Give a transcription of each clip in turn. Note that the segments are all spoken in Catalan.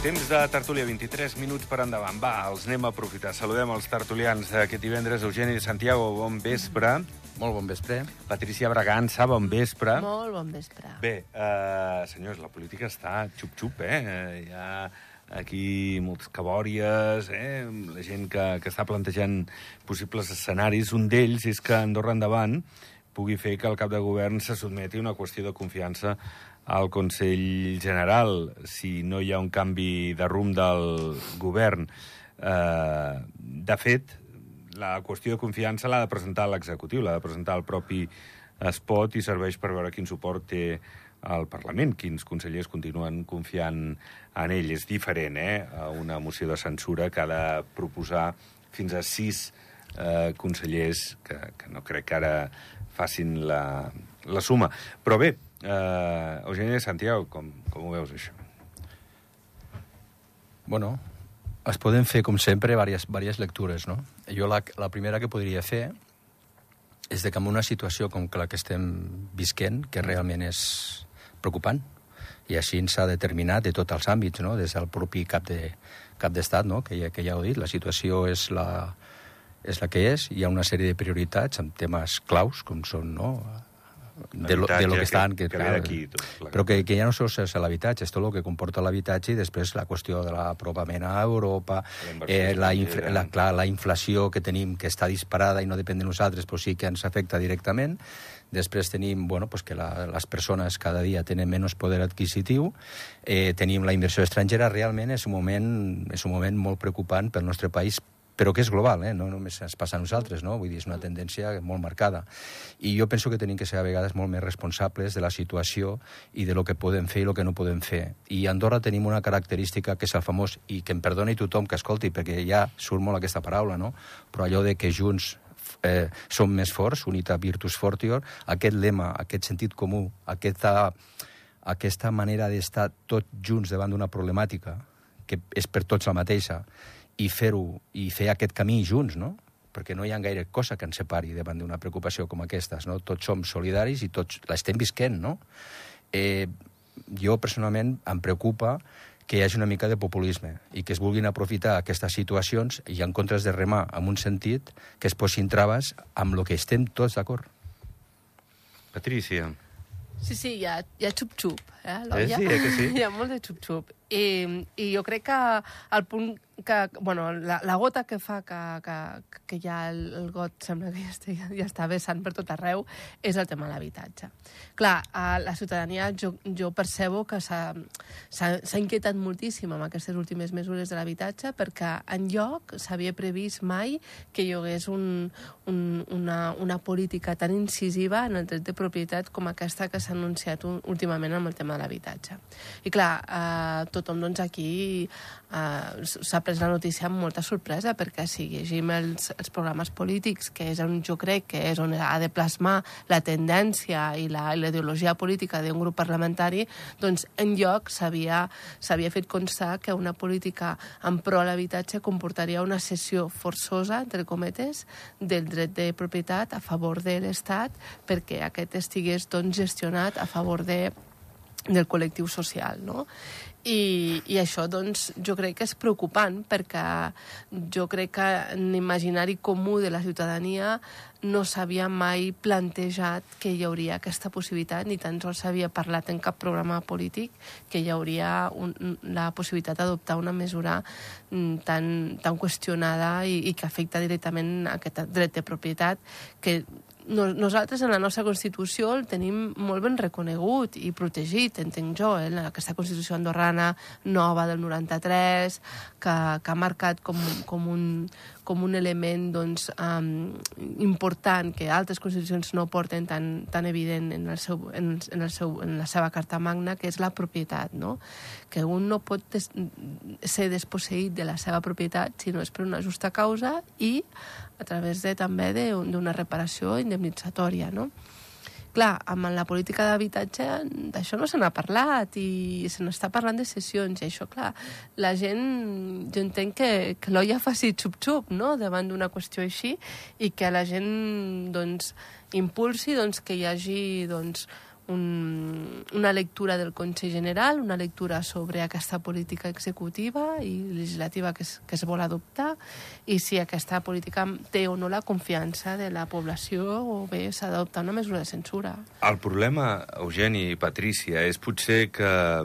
Temps de tertúlia, 23 minuts per endavant. Va, els anem a aprofitar. Saludem els tertulians d'aquest divendres. Eugeni Santiago, bon vespre. Molt bon vespre. Patricia Bragança, bon vespre. Molt bon vespre. Bé, senyors, la política està xup-xup, Hi ha aquí moltes cabòries, la gent que està plantejant possibles escenaris. Un d'ells és que Andorra Endavant pugui fer que el cap de govern se sotmeti a una qüestió de confiança al Consell General, si no hi ha un canvi de rumb del govern. De fet, la qüestió de confiança l'ha de presentar l'executiu, l'ha de presentar el propi Espot i serveix per veure quin suport té al Parlament, quins consellers continuen confiant en ell. És diferent, a una moció de censura que ha de proposar fins a 6 consellers, que no crec que ara facin la suma. Però bé, Eugeni Santiago, com ho veus, això? Bueno, es poden fer, com sempre, diverses lectures, no? Jo la primera que podria fer és que en una situació com la que estem visquent, que realment és preocupant, i així s'ha determinat de tots els àmbits, no? Des del propi cap d'estat, no? Que ja ho he dit, la situació és la que és, hi ha una sèrie de prioritats amb temes claus, com són, no?, de lo que estan... Però que ja no sols és l'habitatge, és tot el que comporta l'habitatge i després la qüestió de l'apropament a Europa, la inflació que tenim, que està disparada i no depèn de nosaltres, però sí que ens afecta directament. Després tenim que les persones cada dia tenen menys poder adquisitiu, tenim la inversió estrangera. Realment és un moment molt preocupant pel nostre país, però que és global, no només ens passa a nosaltres, no? Vull dir, és una tendència molt marcada. I jo penso que tenim que ser a vegades molt més responsables de la situació i de lo que podem fer i el que no podem fer. I a Andorra tenim una característica que és el famós, i que em perdoni tothom que escolti, perquè ja surt molt aquesta paraula, no? Però allò de que junts som més forts, unitat virtus fortior, aquest lema, aquest sentit comú, aquesta manera d'estar tots junts davant d'una problemàtica, que és per tots la mateixa, i fer aquest camí junts, no? Perquè no hi ha gaire cosa que ens separi davant d'una preocupació com aquesta, no? Tots som solidaris i tots l'estem visquent, no? Jo, personalment, em preocupa que hi hagi una mica de populisme i que es vulguin aprofitar aquestes situacions i en comptes de remar en un sentit que es posin traves amb el que estem tots d'acord. Patricia. Sí, hi ha xup-xup, l'olla. Que sí. Hi ha molt de xup-xup. I jo crec que el punt la gota que fa que ja el got sembla que ja està vessant per tot arreu és el tema de l'habitatge. Clar, la ciutadania jo percebo que s'ha inquietat moltíssim amb aquestes últimes mesures de l'habitatge perquè enlloc s'havia previst mai que hi hagués una política tan incisiva en el dret de propietat com aquesta que s'ha anunciat últimament amb el tema de l'habitatge. I clar, tothom aquí s'ha pres la notícia amb molta sorpresa perquè si llegim els programes polítics, que és on jo crec que és on ha de plasmar la tendència i la ideologia política d'un grup parlamentari, doncs enlloc s'havia fet constar que una política en pro a l'habitatge comportaria una cessió forçosa, entre cometes, del dret de propietat a favor de l'Estat perquè aquest estigués gestionat a favor del col·lectiu social, no? I això, doncs, jo crec que és preocupant perquè jo crec que en l'imaginari comú de la ciutadania no s'havia mai plantejat que hi hauria aquesta possibilitat, ni tan sols s'havia parlat en cap programa polític que hi hauria la possibilitat d'adoptar una mesura tan qüestionada i que afecta directament aquest dret de propietat que nosaltres en la nostra Constitució el tenim molt ben reconegut i protegit, entenc jo, aquesta Constitució andorrana nova del 93, que ha marcat com un element important que altres constitucions no porten tan evident en la seva Carta Magna, que és la propietat, no? Que un no pot ser desposseït de la seva propietat si no és per una justa causa i a través també d'una reparació indemnitzatòria, no? Clar, amb la política d'habitatge d'això no se n'ha parlat i se n'està parlant de cessions i això, clar, la gent, jo entenc que l'olla faci xup-xup, no?, davant d'una qüestió així i que la gent, doncs, impulsi que hi hagi, doncs, una lectura del Consell General, una lectura sobre aquesta política executiva i legislativa que es vol adoptar i si aquesta política té o no la confiança de la població o bé s'ha d'adoptar una mesura de censura. El problema, Eugeni i Patrícia, és potser que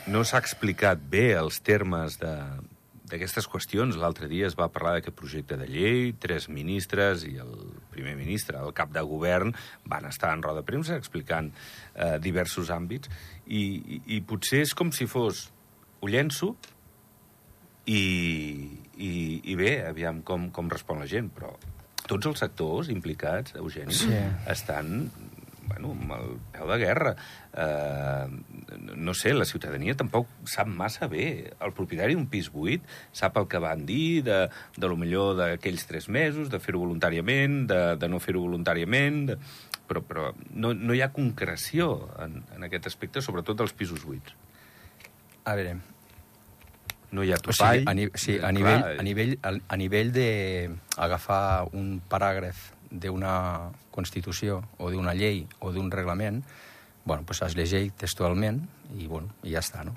no s'ha explicat bé els termes d'aquestes qüestions. L'altre dia es va parlar d'aquest projecte de llei, 3 ministres i el primer ministre, el cap de govern, van estar en roda de premsa explicant diversos àmbits i potser és com si fos ho llenço i bé, aviam com respon la gent, però tots els sectors implicats, Eugeni, estan amb el peu de guerra. No sé, la ciutadania tampoc sap massa bé. El propietari d'un pis buit sap el que van dir de lo millor d'aquells 3 mesos, de fer-ho voluntàriament, de no fer-ho voluntàriament, però no hi ha concreció en aquest aspecte, sobretot dels pisos buits. A veure... No hi ha topall. A nivell d'agafar un paràgraf d'una Constitució o d'una llei o d'un reglament, es llegeix textualment i ja està, no?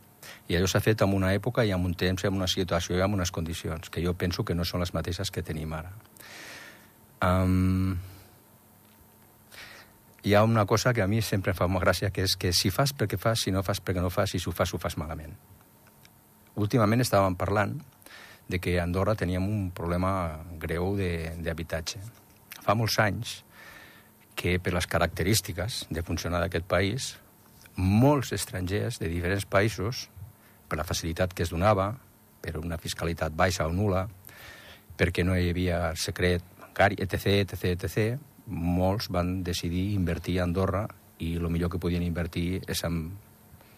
I allò s'ha fet en una època i en un temps, en una situació i en unes condicions, que jo penso que no són les mateixes que tenim ara. Hi ha una cosa que a mi sempre em fa molt gràcia, que és que si fas perquè fas, si no fas perquè no fas, i si ho fas malament. Últimament estàvem parlant de que a Andorra teníem un problema greu d'habitatge. Fa molts anys que, per les característiques de funcionar d'aquest país, molts estrangers de diferents països, per la facilitat que es donava, per una fiscalitat baixa o nul·la, perquè no hi havia secret bancari, etc., molts van decidir invertir a Andorra i el millor que podien invertir és en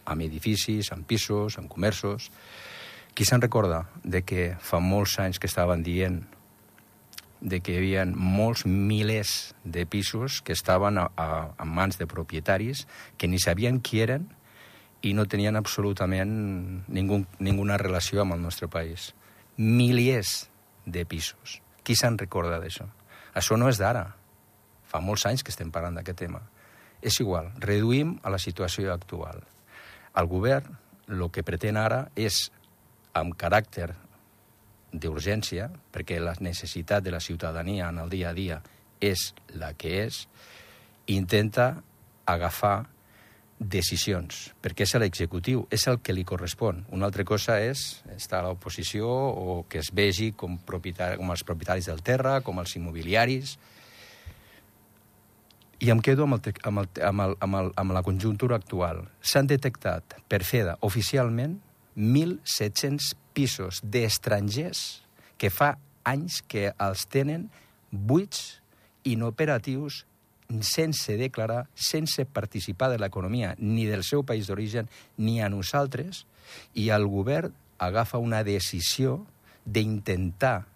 edificis, en pisos, en comerços. Qui se'n recorda de que fa molts anys que estaven dient de que hi havia molts milers de pisos que estaven en mans de propietaris que ni sabien qui eren i no tenien absolutament ninguna relació amb el nostre país. Milers de pisos. Qui se'n recorda d'això? Això no és d'ara. Fa molts anys que estem parlant d'aquest tema. És igual, reduïm a la situació actual. El govern el que pretén ara és, amb caràcter d'urgència, perquè la necessitat de la ciutadania en el dia a dia és la que és, intenta agafar decisions, perquè és l'executiu, és el que li correspon. Una altra cosa és estar a l'oposició o que es vegi com els propietaris del terra, com els immobiliaris. I em quedo amb la conjuntura actual. S'han detectat per FEDA oficialment 1.700 pisos d'estrangers que fa anys que els tenen buits, inoperatius, sense declarar, sense participar de l'economia ni del seu país d'origen ni a nosaltres, i el govern agafa una decisió d'intentar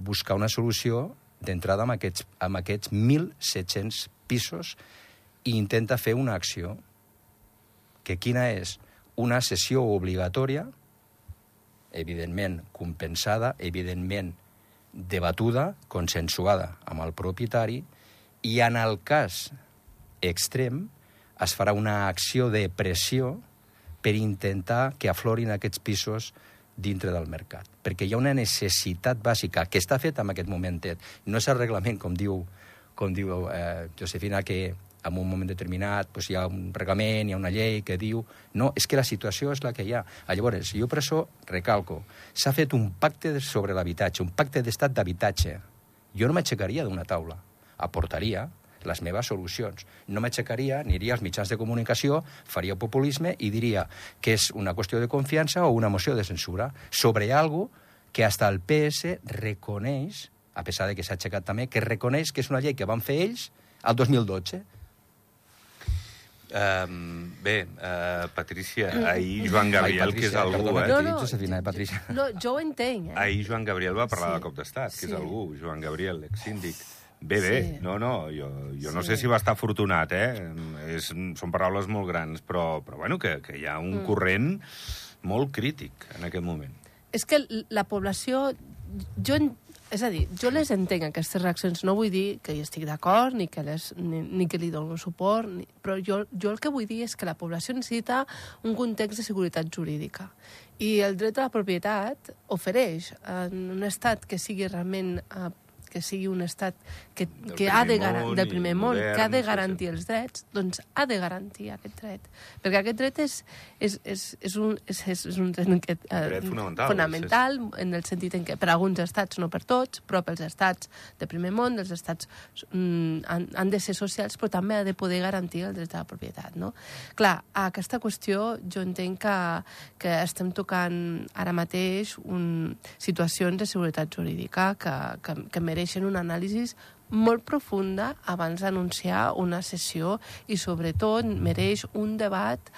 buscar una solució d'entrada amb aquests 1.700 pisos i intenta fer una acció que quina és? Una cessió obligatòria, evidentment compensada, evidentment debatuda, consensuada amb el propietari, i en el cas extrem es farà una acció de pressió per intentar que aflorin aquests pisos dintre del mercat. Perquè hi ha una necessitat bàsica que està feta en aquest momentet. No és el reglament, com diu Josefina, que en un moment determinat hi ha un reglament, hi ha una llei que diu... No, és que la situació és la que hi ha. Llavors, jo per això recalco, s'ha fet un pacte sobre l'habitatge, un pacte d'estat d'habitatge. Jo no m'aixecaria d'una taula, aportaria les meves solucions. No m'aixecaria, aniria als mitjans de comunicació, faria populisme i diria que és una qüestió de confiança o una moció de censura sobre algo que hasta el PS reconeix, a pesar de que s'ha aixecat també, que reconeix que és una llei que van fer ells el 2012. Patrícia, ahir Joan Gabriel, que és algú... Patrícia. No, jo ho entenc. Ahir Joan Gabriel va parlar del cop d'estat, que és algú, Joan Gabriel, l'exsíndic. Bé, no, jo no sé si va estar afortunat, són paraules molt grans, però bueno, que hi ha un corrent molt crític en aquest moment. És que la població... Jo És a dir, jo les entenc, aquestes reaccions. No vull dir que hi estic d'acord ni que li dono suport, però jo el que vull dir és que la població necessita un context de seguretat jurídica. I el dret a la propietat ofereix en un estat que sigui realment que sigui un estat que ha de garantir, del primer món, que ha de garantir els drets, doncs ha de garantir aquest dret. Perquè aquest dret és un dret fonamental en el sentit en què per alguns estats, no per tots, però pels estats de primer món, els estats han de ser socials, però també ha de poder garantir el dret a la propietat. No? Clar, a aquesta qüestió jo entenc que estem tocant ara mateix situacions de seguretat jurídica que mereixen una anàlisi molt profunda abans d'anunciar una sessió i, sobretot, mereix un debat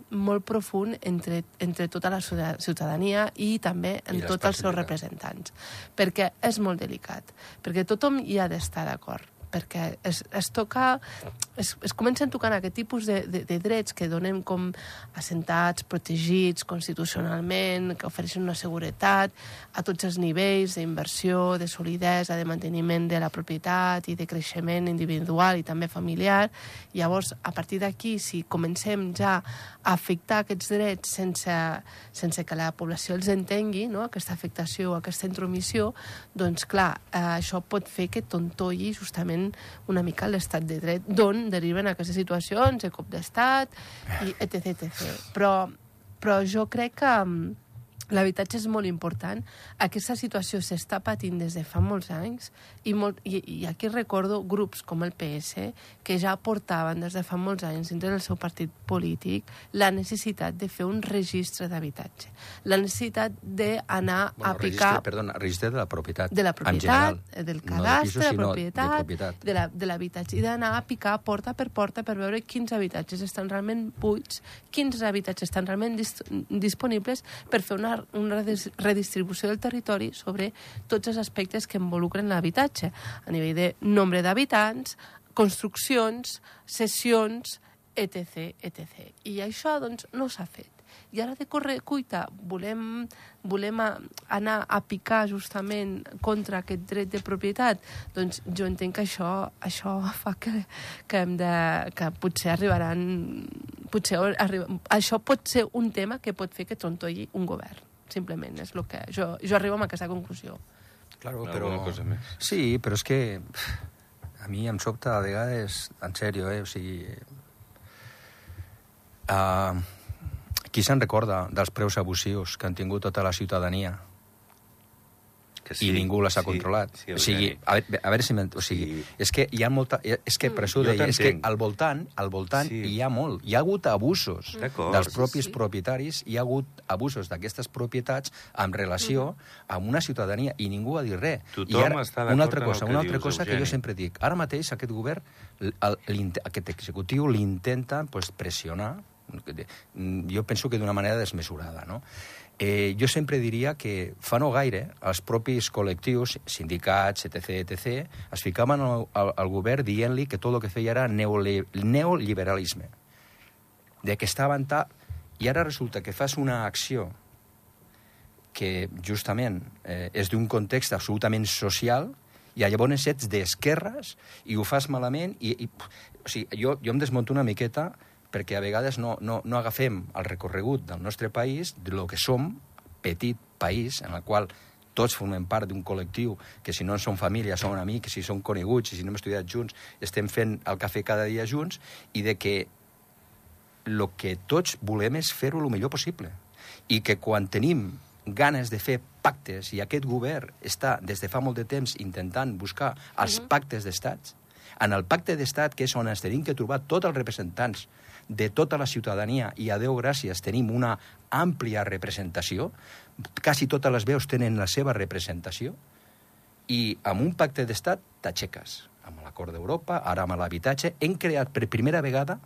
molt profund entre tota la ciutadania i també en tots els seus representants. Perquè és molt delicat, perquè tothom hi ha d'estar d'acord, perquè es comencen tocant aquest tipus de drets que donen com assentats, protegits constitucionalment, que ofereixen una seguretat a tots els nivells d'inversió, de solidesa, de manteniment de la propietat i de creixement individual i també familiar. Llavors, a partir d'aquí, si comencem ja a afectar aquests drets sense que la població els entengui, no? Aquesta afectació, aquesta intromissió, doncs clar, això pot fer que tontolli justament una mica l'estat de dret, d'on deriven aquestes situacions de cop d'estat, i etc. Però jo crec que l'habitatge és molt important. Aquesta situació s'està patint des de fa molts anys i aquí recordo grups com el PS que ja portaven des de fa molts anys dintre del seu partit polític la necessitat de fer un registre d'habitatge. La necessitat d'anar a picar... Registre de la propietat. De la propietat, del cadastre, de la propietat, de l'habitatge. I d'anar a picar porta per veure quins habitatges estan realment buits, quins habitatges estan realment disponibles per fer una redistribució del territori sobre tots els aspectes que involucren l'habitatge, a nivell de nombre d'habitants, construccions, cessions, etc. I això, doncs, no s'ha fet. I ara de corre cuita volem anar a picar justament contra aquest dret de propietat, doncs jo entenc que això fa que potser arribaran... Això pot ser un tema que pot fer que trontolli un govern. Simplement és el que... Jo arribo a aquesta conclusió. Claro, però... Sí, però és que a mi em sobta a vegades, en sèrio, o sigui... Qui se'n recorda dels preus abusius que han tingut tota la ciutadania? Sí, i ningú les ha controlat. Sí, o sigui, a veure si... O sigui, és que hi ha molta... És que per això ho deia, és que al voltant hi ha molt. Hi ha hagut abusos dels propis propietaris, hi ha hagut abusos d'aquestes propietats en relació amb una ciutadania, i ningú ha dit res. Tothom està d'acord amb el que dius, Una altra cosa que jo sempre dic, ara mateix aquest govern, aquest executiu l'intenta pressionar, jo penso que d'una manera desmesurada, no? Jo sempre diria que fa no gaire els propis col·lectius, sindicats, etc., es ficaven al govern dient-li que tot el que feia era neoliberalisme, de que estaven i ara resulta que fas una acció que justament és d'un context absolutament social i llavors ets d'esquerres i ho fas malament o sigui, jo em desmunto una miqueta perquè a vegades no agafem el recorregut del nostre país, de lo que som, petit país, en el qual tots formem part d'un col·lectiu que si no som família, som amics, si som coneguts, i si no hem estudiat junts, estem fent el cafè cada dia junts, i de que el que tots volem és fer-ho el millor possible. I que quan tenim ganes de fer pactes, i aquest govern està des de fa molt de temps intentant buscar els pactes d'estats, en el pacte d'estat, que és on ens tenim que trobar tots els representants de tota la ciutadania, i a Déu gràcies tenim una àmplia representació, quasi totes les veus tenen la seva representació, i amb un pacte d'estat t'aixeques. Amb l'acord d'Europa, ara amb l'habitatge, hem creat per primera vegada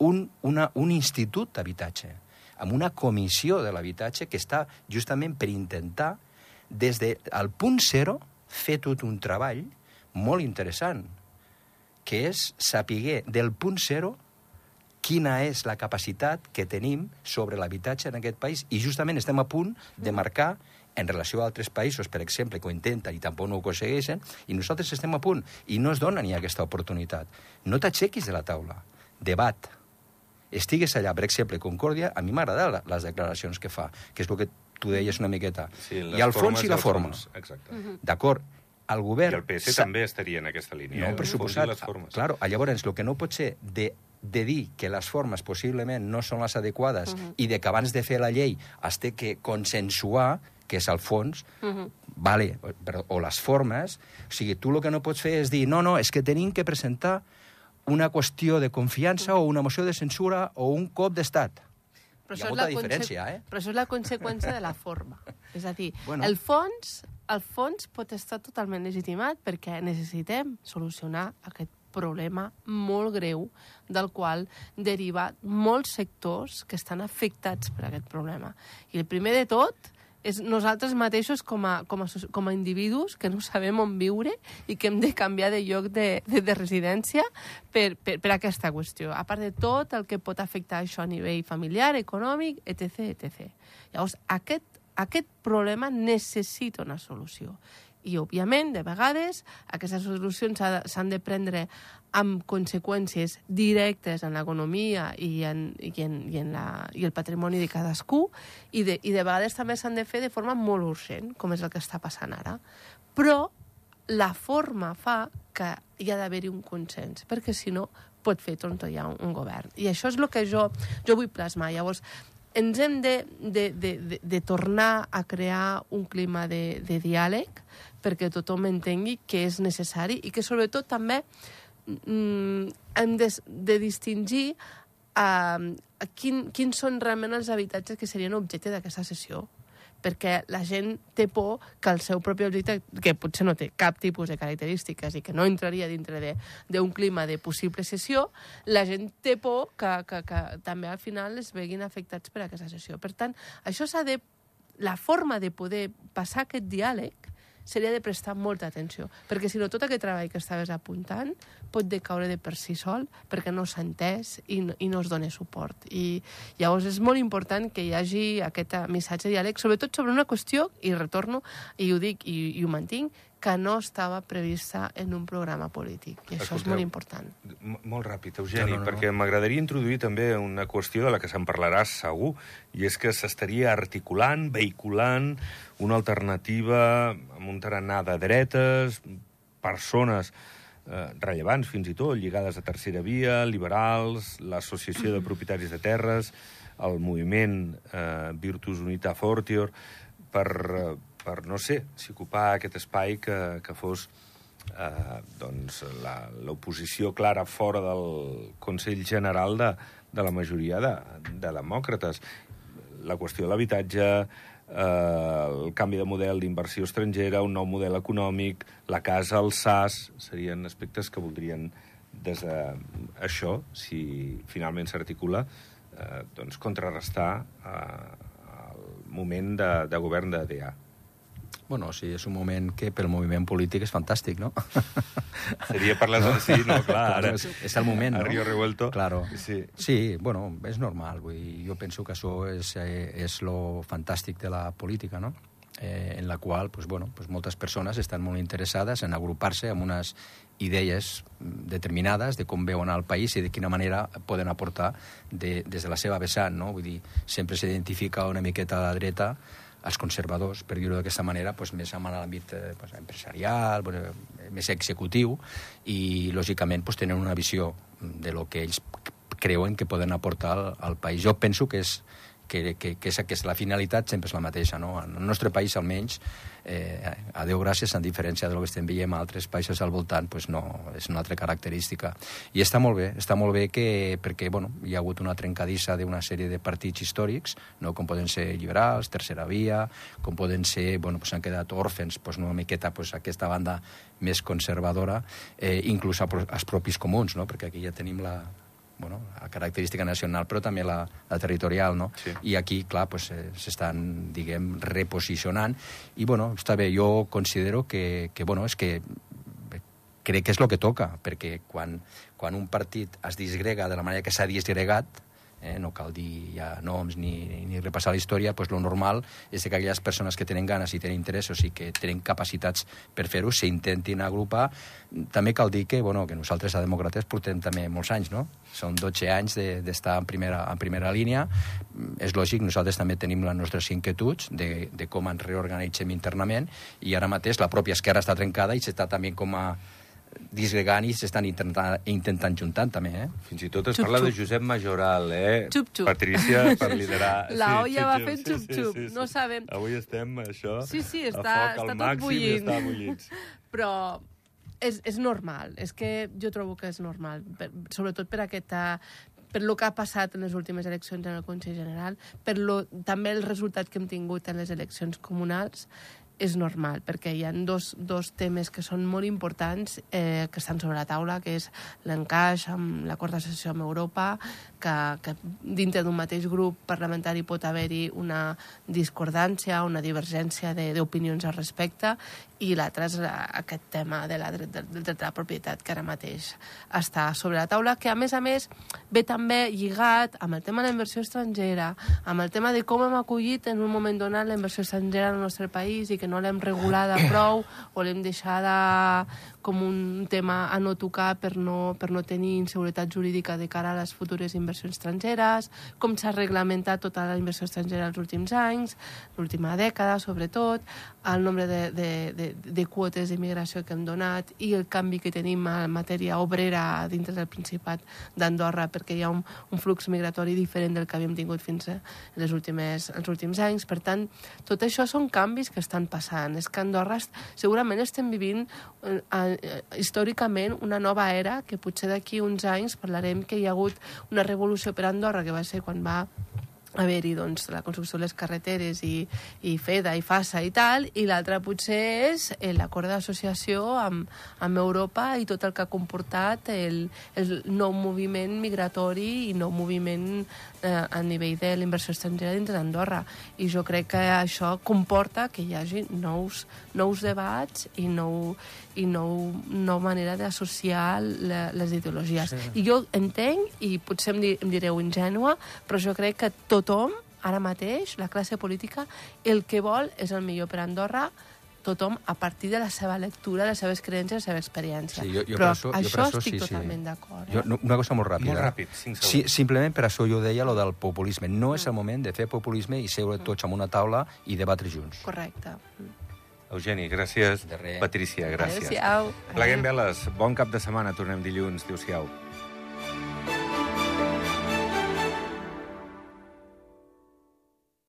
un institut d'habitatge, amb una comissió de l'habitatge que està justament per intentar, des del punt zero, fer tot un treball molt interessant, que és saber del punt zero quina és la capacitat que tenim sobre l'habitatge en aquest país, i justament estem a punt de marcar en relació a altres països, per exemple, que ho intenten i tampoc no ho aconsegueixen, i nosaltres estem a punt, i no es dona ni aquesta oportunitat. No t'aixequis de la taula. Debat. Estigues allà, per exemple, Concòrdia, a mi m'agraden les declaracions que fa, que és el que tu deies una miqueta. Sí, i el fons i la forma. Exacte. D'acord, el govern... I el PS també estaria en aquesta línia. No, per suposat. Claro, llavors, el que no pot ser de dir que les formes possiblement no són les adequades i de que abans de fer la llei es té que consensuar, que és el fons, vale, o les formes, o sigui, tu el que no pots fer és dir no, és que tenim que presentar una qüestió de confiança o una moció de censura o un cop d'estat. Hi ha molta diferència, Però això és la conseqüència de la forma. És a dir, el fons pot estar totalment legitimat perquè necessitem solucionar aquest problema molt greu del qual deriva molts sectors que estan afectats per aquest problema. I el primer de tot és nosaltres mateixos com a individus que no sabem on viure i que hem de canviar de lloc de residència per aquesta qüestió. A part de tot el que pot afectar això a nivell familiar, econòmic, etc. Llavors, aquest problema necessita una solució. I, òbviament, de vegades, aquestes solucions s'han de prendre amb conseqüències directes en l'economia i el patrimoni de cadascú, i de vegades també s'han de fer de forma molt urgent, com és el que està passant ara. Però la forma fa que hi ha d'haver-hi un consens, perquè si no pot fer trontollar un govern. I això és el que jo vull plasmar. Llavors, ens hem de tornar a crear un clima de diàleg perquè tothom entengui que és necessari i que sobretot també hem de distingir quins són realment els habitatges que serien objecte d'aquesta sessió, perquè la gent té por que el seu propi objecte, que potser no té cap tipus de característiques i que no entraria dintre d'un clima de possible sessió, la gent té por que també al final es veguin afectats per aquesta sessió. Per tant, la forma de poder passar aquest diàleg seria de prestar molta atenció, perquè si no tot aquest treball que estaves apuntant pot decaure de per si sol perquè no s'ha entès i no es dona suport. I llavors és molt important que hi hagi aquest missatge de diàleg, sobretot sobre una qüestió, i retorno, i ho dic i ho mantinc, que no estava prevista en un programa polític. I això és molt important. Molt ràpid, Eugeni, perquè m'agradaria introduir també una qüestió de la que se'n parlarà segur, i és que s'estaria articulant, vehiculant una alternativa amb un tarannà de dretes, persones rellevants fins i tot, lligades a Tercera Via, liberals, l'Associació de Propietaris de Terres, el moviment Virtus Unita Fortior, per no sé, si ocupar aquest espai que fos l'oposició clara fora del Consell General de la majoria de demòcrates. La qüestió de l'habitatge, el canvi de model d'inversió estrangera, un nou model econòmic, la casa, el SAS, serien aspectes que voldrien, des d'això, si finalment s'articula, contrarrestar el moment de govern de DA. Bueno, sí, és un moment que pel moviment polític és fantàstic, no? Seria per les... Sí, no, clar, ara... És el moment, no? A Río Revuelto. Claro. Sí, bueno, és normal. Vull dir, jo penso que això és lo fantàstic de la política, no? En la qual, pues, bueno, pues moltes persones estan molt interessades en agrupar-se amb unes idees determinades de com veuen el país i de quina manera poden aportar des de la seva vessant, no? Vull dir, sempre s'identifica una miqueta a la dreta els conservadors, per dir-ho d'aquesta manera, pues, més en l'àmbit empresarial, més executiu, i, lògicament, pues, tenen una visió de lo que ells creuen que poden aportar al país. Jo penso que la finalitat sempre és la mateixa, no? En el nostre país, almenys, a Déu gràcies, en diferència del que estem veient a altres països al voltant, pues no, és una altra característica. I està molt bé perquè, bueno, hi ha hagut una trencadissa d'una sèrie de partits històrics, no? Com poden ser liberals, Tercera Via, com poden ser, bueno, pues han quedat òrfens, pues una miqueta, pues aquesta banda més conservadora, inclús els propis comuns, no? Perquè aquí ja tenim la característica nacional, però també la territorial, no? Sí. I aquí, clar, pues, s'estan, diguem, reposicionant. I, bueno, està bé, jo considero que és que crec que és el que toca, perquè quan un partit es disgrega de la manera que s'ha disgregat, no cal dir ja noms ni repassar la història, doncs lo normal és que aquelles persones que tenen ganes i tenen interessos i que tenen capacitats per fer-ho s'intentin agrupar. També cal dir que nosaltres a Demòcrates portem també molts anys, no? Són 12 anys d'estar en primera línia. És lògic, nosaltres també tenim les nostres inquietuds de com ens reorganitzem internament, i ara mateix la pròpia esquerra està trencada i s'està també com a disgregant i s'estan intentant juntant també, Fins i tot es parla de Josep Majoral, Xup-xup. Patrícia, per liderar... La olla va fent xup-xup, no sabem... Avui estem, això, Sí, a està foc al tot màxim bullint. i està bullits. Però és normal, és que jo trobo que és normal, sobretot per per lo que ha passat en les últimes eleccions en el Consell General, també el resultat que hem tingut en les eleccions comunals. És normal, perquè hi ha dos temes que són molt importants que estan sobre la taula, que és l'encaix amb l'acord d'associació amb Europa, que dintre d'un mateix grup parlamentari pot haver-hi una discordància, una divergència d'opinions al respecte, i l'altre és aquest tema del dret de la propietat, que ara mateix està sobre la taula, que a més ve també lligat amb el tema de la inversió estrangera, amb el tema de com hem acollit en un moment donat la inversió estrangera al nostre país i que no l'hem regulada prou o l'hem deixada com un tema a no tocar per no tenir inseguretat jurídica de cara a les futures inversions estrangeres, com s'ha reglamentat tota la inversió estrangera els últims anys, l'última dècada sobretot, el nombre de quotes d'immigració que hem donat i el canvi que tenim en matèria obrera dintre del Principat d'Andorra, perquè hi ha un flux migratori diferent del que havíem tingut fins els últims anys. Per tant, tot això són canvis que estan passant. És que a Andorra segurament estem vivint històricament una nova era, que potser d'aquí uns anys parlarem que hi ha hagut una revolució per Andorra, que va ser quan va haver-hi la construcció de les carreteres i FEDA i FASA i tal, i l'altra potser és l'acord d'associació amb Europa i tot el que ha comportat el nou moviment migratori i nou moviment a nivell de la inversió estrangera dintre d'Andorra. I jo crec que això comporta que hi hagi nous debats i nova manera d'associar les ideologies. Sí. I jo entenc, i potser em direu ingènua, però jo crec que tothom, ara mateix, la classe política, el que vol és el millor per Andorra, tothom a partir de la seva lectura, de les seves creences, de la seva experiència. Sí, però això estic totalment d'acord. Una cosa molt ràpida. Molt ràpid, 5 segons. Simplement per això jo deia lo del populisme. No és el moment de fer populisme i seure tots en una taula i debatre junts. Correcte. Eugeni, gràcies. De res. Patrícia, gràcies. Adéu-siau. Pleguem veles. Bon cap de setmana. Tornem dilluns. Adéu-siau.